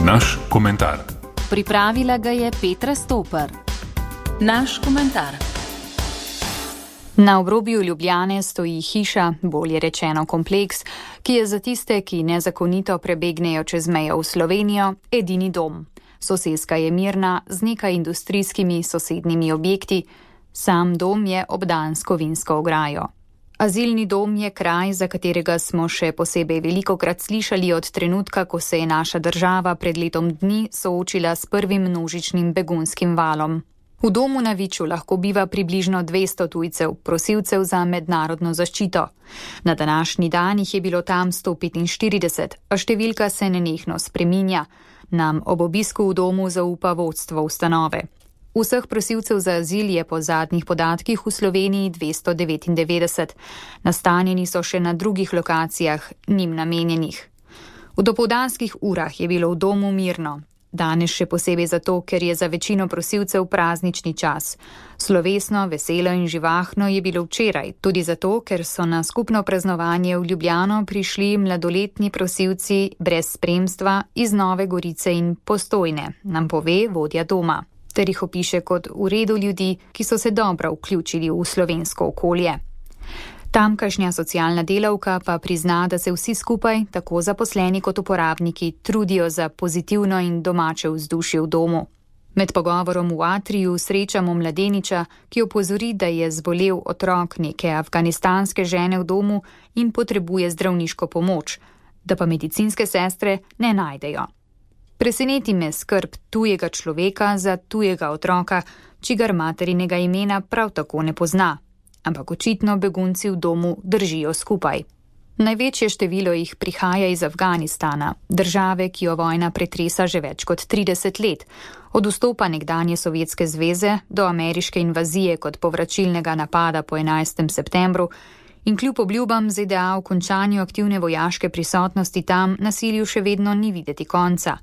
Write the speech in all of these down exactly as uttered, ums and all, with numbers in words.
Naš komentar. Pripravila ga je Petra Stopar. Naš komentar. Na obrobju Ljubljane stoji hiša, bolje rečeno kompleks, ki je za tiste, ki nezakonito prebegnejo čez mejo v Slovenijo, edini dom. Soseska je mirna z nekaj industrijskimi sosednjimi objekti, sam dom je obdan s kovinsko ograjo. Azilni dom je kraj, za katerega smo še posebej velikokrat slišali od trenutka, ko se je naša država pred letom dni soočila s prvim množičnim begunskim valom. V domu na Viču lahko biva približno dvesto tujcev, prosilcev za mednarodno zaščito. Na današnji dan jih je bilo tam sto petinštirideset, a številka se nenehno spreminja. Nam ob obisku v domu zaupa vodstvo ustanove. Vseh prosilcev za azil je po zadnjih podatkih v Sloveniji dvesto devetindevetdeset. Nastanjeni so še na drugih lokacijah, njim namenjenih. V dopoldanskih urah je bilo v domu mirno. Danes še posebej zato, ker je za večino prosilcev praznični čas. Slovesno, veselo in živahno je bilo včeraj, tudi zato, ker so na skupno praznovanje v Ljubljano prišli mladoletni prosilci brez spremstva iz Nove Gorice in Postojne, nam pove vodja doma, ter jih opiše kot v redu ljudi, ki so se dobro vključili v slovensko okolje. Tamkajšnja socialna delavka pa prizna, da se vsi skupaj, tako zaposleni kot uporabniki, trudijo za pozitivno in domače vzdušje v domu. Med pogovorom v atriju srečamo mladeniča, ki opozori, da je zbolel otrok neke afganistanske žene v domu in potrebuje zdravniško pomoč, da pa medicinske sestre ne najdejo. Preseneti me skrb tujega človeka za tujega otroka, čigar materinega imena prav tako ne pozna. Ampak očitno begunci v domu držijo skupaj. Največje število jih prihaja iz Afganistana, države, ki jo vojna pretresa že več kot trideset let, od vstopa nekdanje Sovjetske zveze do ameriške invazije kot povračilnega napada po enajstem septembru in kljub obljubam Z D A o končanju aktivne vojaške prisotnosti tam nasilju še vedno ni videti konca.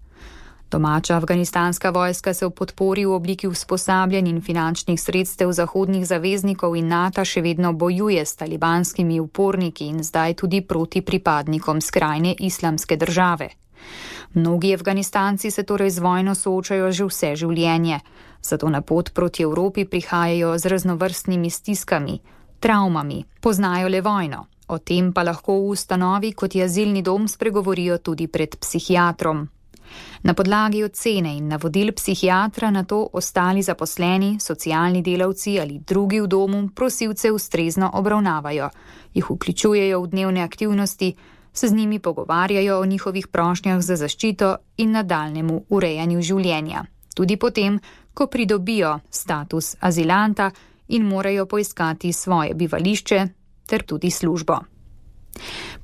Domača afganistanska vojska se v podpori v obliki usposabljanj in finančnih sredstev zahodnih zaveznikov in NATO še vedno bojuje s talibanskimi uporniki in zdaj tudi proti pripadnikom skrajne islamske države. Mnogi Afganistanci se torej z vojno soočajo že vse življenje, zato na pot proti Evropi prihajajo z raznovrstnimi stiskami, travmami, poznajo le vojno. O tem pa lahko v ustanovi, kot je azilni dom, spregovorijo tudi pred psihiatrom. Na podlagi ocene in navodil psihiatra na to ostali zaposleni, socialni delavci ali drugi v domu prosilce ustrezno obravnavajo, jih vključujejo v dnevne aktivnosti, se z njimi pogovarjajo o njihovih prošnjah za zaščito in nadaljnjemu urejanju življenja, tudi potem, ko pridobijo status azilanta in morajo poiskati svoje bivališče ter tudi službo.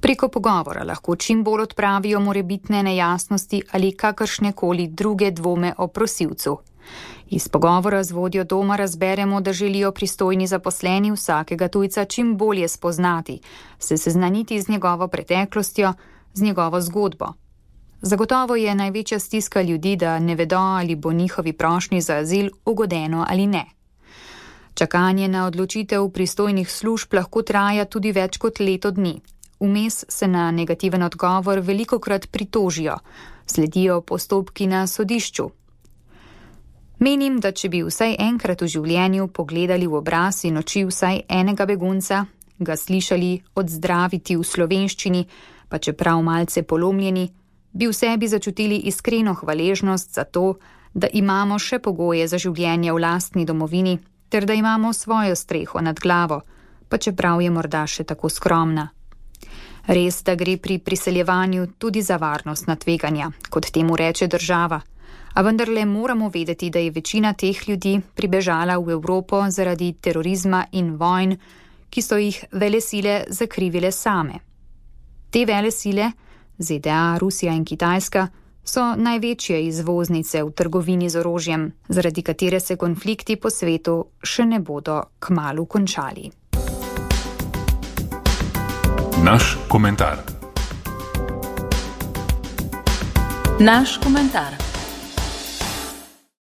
Preko pogovora lahko čim bolj odpravijo morebitne nejasnosti ali kakršnekoli druge dvome o prosilcu. Iz pogovora z vodjo doma razberemo, da želijo pristojni zaposleni vsakega tujca čim bolje spoznati, se seznaniti z njegovo preteklostjo, z njegovo zgodbo. Zagotovo je največja stiska ljudi, da ne vedo, ali bo njihovi prošnji za azil ugodeno ali ne. Čakanje na odločitev pristojnih služb lahko traja tudi več kot leto dni. Vmes se na negativen odgovor velikokrat pritožijo, sledijo postopki na sodišču. Menim, da če bi vsaj enkrat v življenju pogledali v obraz in oči vsaj enega begunca, ga slišali odzdraviti v slovenščini, pa čeprav malce polomljeni, bi v sebi začutili iskreno hvaležnost za to, da imamo še pogoje za življenje v lastni domovini, ter da imamo svojo streho nad glavo, pa čeprav je morda še tako skromna. Res, da gre pri priseljevanju tudi za varnostna tveganja, kot temu reče država, a vendarle moramo vedeti, da je večina teh ljudi pribežala v Evropo zaradi terorizma in vojn, ki so jih velesile zakrivile same. Te velesile, Z D A, Rusija in Kitajska, so največje izvoznice v trgovini z orožjem, zaradi katere se konflikti po svetu še ne bodo kmalu končali. Naš komentar. Naš komentar.